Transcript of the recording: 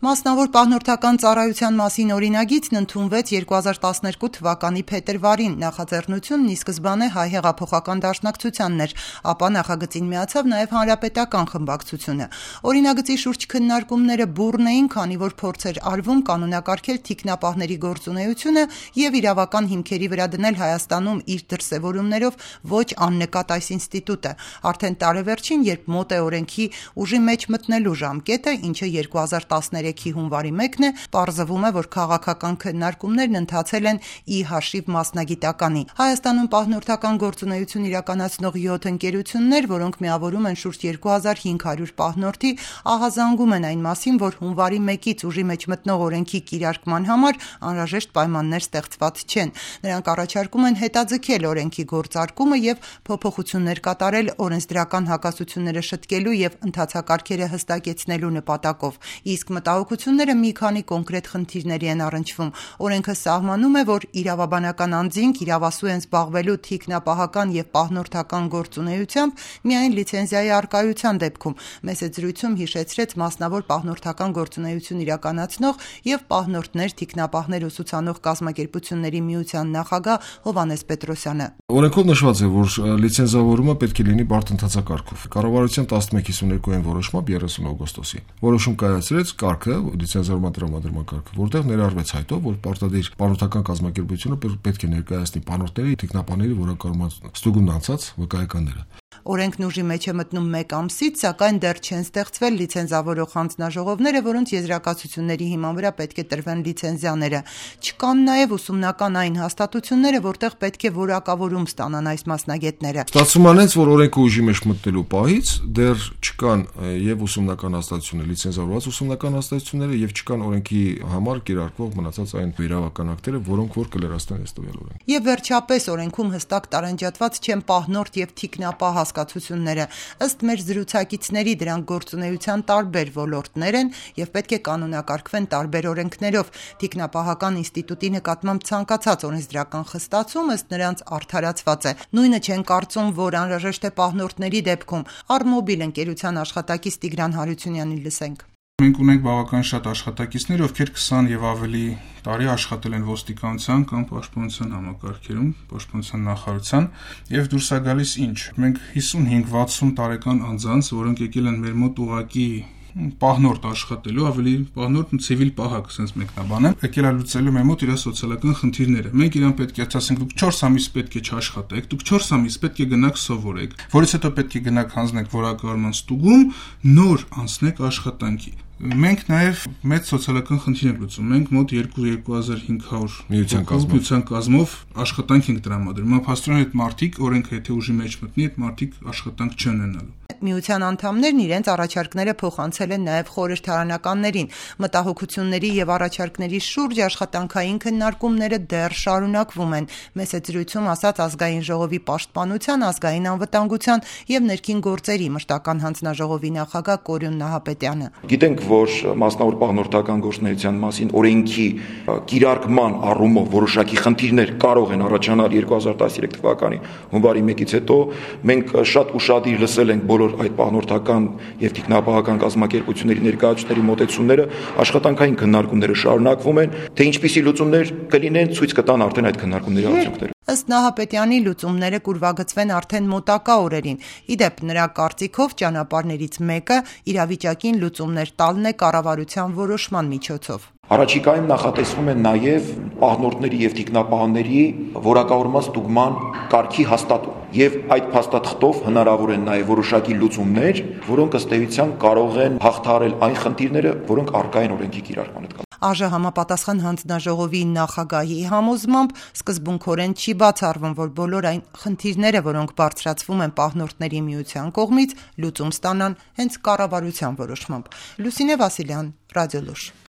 Մասնավոր պահնորդական ծառայության մասին օրինագիծն ընդունվեց 2012 թվականի փետրվարին, նախաձեռնությունն ի սկզբանե Հայ հեղափոխական դաշնակցությանն էր, ապա նախագծին միացավ նաև Հանրապետական խմբակցությունը։ Օրինագծի շուրջ քննարկումները բուռն էին, քանի որ փորձ էր արվում կանոնակարգել թիկնապահների գործունեությունը եւ իրավական հիմքերի վրա դնել Հայաստանում իր դրսեւորումներով ոչ աննկատ այս ինստիտուտը։ Արդեն տարեվերջին, երբ մոտ է օրենքի ուժի մեջ մտնելու ժամկետը, ինչը 2013 հունվարի 1-ն է, պարզվում է, որ քաղաքական քննարկումներն ընթացել են ի հաշիվ մասնագիտականի։ Հայաստանում պահնորդական գործունեություն իրականացնող 7 ընկերություններ, որոնք միավորում են շուրջ 2500 պահնորդի, ահազանգում են այն մասին, որ հունվարի 1-ից ուժի մեջ մտնող օրենքի կիրարկման համար անհրաժեշտ պայմաններ ստեղծված չեն։ Նրանք առաջարկում են հետաձգել օրենքի գործարկումը եւ փոփոխություններ կատարել օրենսդրական հակասությունները շտկելու եւ ընթացակարգերը հստակեցնելու նպատակով։ Իսկ մտահոգությունները մի քանի կոնկրետ խնդիրների են առնչվում։ Օրենքը սահմանում է, որ իրավաբանական անձինք իրավասու են զբաղվելու թիկնապահական եւ պահնորդական գործունեությամբ միայն լիցենզիայի առկայության դեպքում։ Մեծ զրույցում հիշեցրեց մասնավոր պահնորդական գործունեություն իրականացնող եւ պահնորդներ, թիկնապահներ ուսուցանող կազմակերպությունների միության նախագահ Հովհաննես Պետրոսյանը։ Օրենքով նշված է, որ լիցենզավորումը պետք է լինի բարդ ընթացակարգով։ Կառավարության 1152-ին որոշմամբ 30 օգոստոսի որոշում կայացրեց կարգը, լիցենզավորման տրամադրման կարգը, որտեղ ներառվեց հայտով, որ պարտադիր պահնորդական կազմակերպությունը պետք է ներկայացնի պահնորդների, թիկնապահների որակավորման ստուգումն անցած վկայականները։ Օրենքն ուժի մեջ է մտնում 1 ամսից, սակայն դեռ չեն ստեղծվել լիցենզավորող հանձնաժողովները, որոնց եզրակացությունների հիման վրա պետք է տրվեն լիցենզիաները։ Չկան նաև ուսումնական այն հաստատությունները, որտեղ պետք է որակավորում ստանան այս մասնագետները։ Ստացվում անեց, որ օրենքը ուժի մեջ մտնելու պահից դեռ չկան եւ ուսումնական հաստատություններ, լիցենզավորված ուսումնական հաստատությունները եւ չկան օրենքի համար կիրարկվող մնացած այն իրավական ակտերը, որոնք որ կլերաստեն այս տվյալ օրենքը։ Եվ վերջապես օրենքում հստակ տարանջատված չեն պահնորդ եւ թիկնապահ հասկացությունները։ Ըստ մեր զրուցակիցների դրանք գործունեության տարբեր ոլորտներ են եւ պետք է կանոնակարգվեն տարբեր օրենքներով։ Թիկնապահական ինստիտուտի նկատմամբ ցանկացած օրենսդրական խստացում ըստ նրանց արդարացված է։ Նույնը չեն կարծում, որ անհրաժեշտ է պահնորդների դեպքում։ Արմոբիլ ընկերության աշխատակից Տիգրան Հարությունյանին լսենք։ Մենք ունենք բավական շատ աշխատակիցներ, ովքեր 20 եւ ավելի տարի աշխատել են ոստիկանության կամ պաշտպանության համակարգերում, պաշտպանության նախարարության, եւ դուրս է գալիս ինչ։ Մենք 55-60 տարեկան անձանց, որոնք եկել են մեր մոտ ուղակի պահնորդ աշխատելու, ավելի պահնորդ ցիվիլ պահակ, sense մեկնաբանը, եկել է լուծելու մեր մոտ իր սոցիալական խնդիրները։ Մենք իրան պետք է ասենք, դուք 4 ամիս պետք է չաշխատեք, դուք 4 ամիս պետք է գնաք սովորեք, որից հետո պետք է գնաք հանձնեք որակավորման ստուգում, նոր անցնեք աշխատանքի։ Մենք նաև մեծ սոցիալական խնդիր ենք լուծում։ Մենք մոտ 2500 միության կազմով աշխատանք ենք տրամադրում։ Փաստորեն այդ մարդիկ օրենքը եթե ուժի մեջ մտնի, այդ մարդիկ աշխատանք չեն ունենալու։ Միության անդամներն իրենց առաջարկները փոխանցել են նաև խորհրդարանականներին։ Մտահոգությունների եւ առաջարկների շուրջ աշխատանքային քննարկումները դեռ շարունակվում են։ Մեծ զրույցում ասաց ազգային ժողովի պաշտպանության, ազգային անվտանգության եւ ներքին գործերի մշտական հանձնաժողովի նախագահ Կորյուն Նահապետյանը։ Գիտենք, որ մասնավոր պահնորդական գործունեության մասին օրենքի կիրարկման առումով որոշակի խնդիրներ կարող են առաջանալ 2013 թվականի հունվարի 1-ից հետո։ Մենք շատ ուշադիր լսել ենք բոլոր այդ պահնորդական եւ թիկնապահական կազմակերպությունների ներկայացուցիչների մոտեցումները, աշխատանքային քննարկումները շարունակվում են, թե ինչպիսի լուծումներ կլինեն, ցույց կտան արդեն այդ քննարկումների արդյունքները։ Ըստ Նահապետյանի լուծումները կուրվագծվեն արդեն մոտակա օրերին։ Իդեպ նրա կարծիքով ճանապարհներից մեկը իրավիճակին լուծումներ տալն է կառավարության որոշման միջոցով։ Առաջիկայում նախատեսվում է նաև պահնորդների եւ թիկնապահների որակավորման ստուգման կարգի հաստատում եւ այդ փաստաթղթով հնարավոր են նաև որոշակի լուծումներ, որոնք ըստ էության կարող են հաղթահարել այն խնդիրները, որոնք առկա են օրենքի կիրարկման հետ։ ԱԺ համապատասխան հանձնաժողովի նախագահի համոզմամբ սկզբունքորեն չի բացառվում, որ բոլոր այն խնդիրները, որոնք բարձրացվում են պահնորդների միության կողմից, լուծում ստանան հենց կառավարության որոշմամբ։ Լուսինե Վասիլյան, Ռադիոլուր։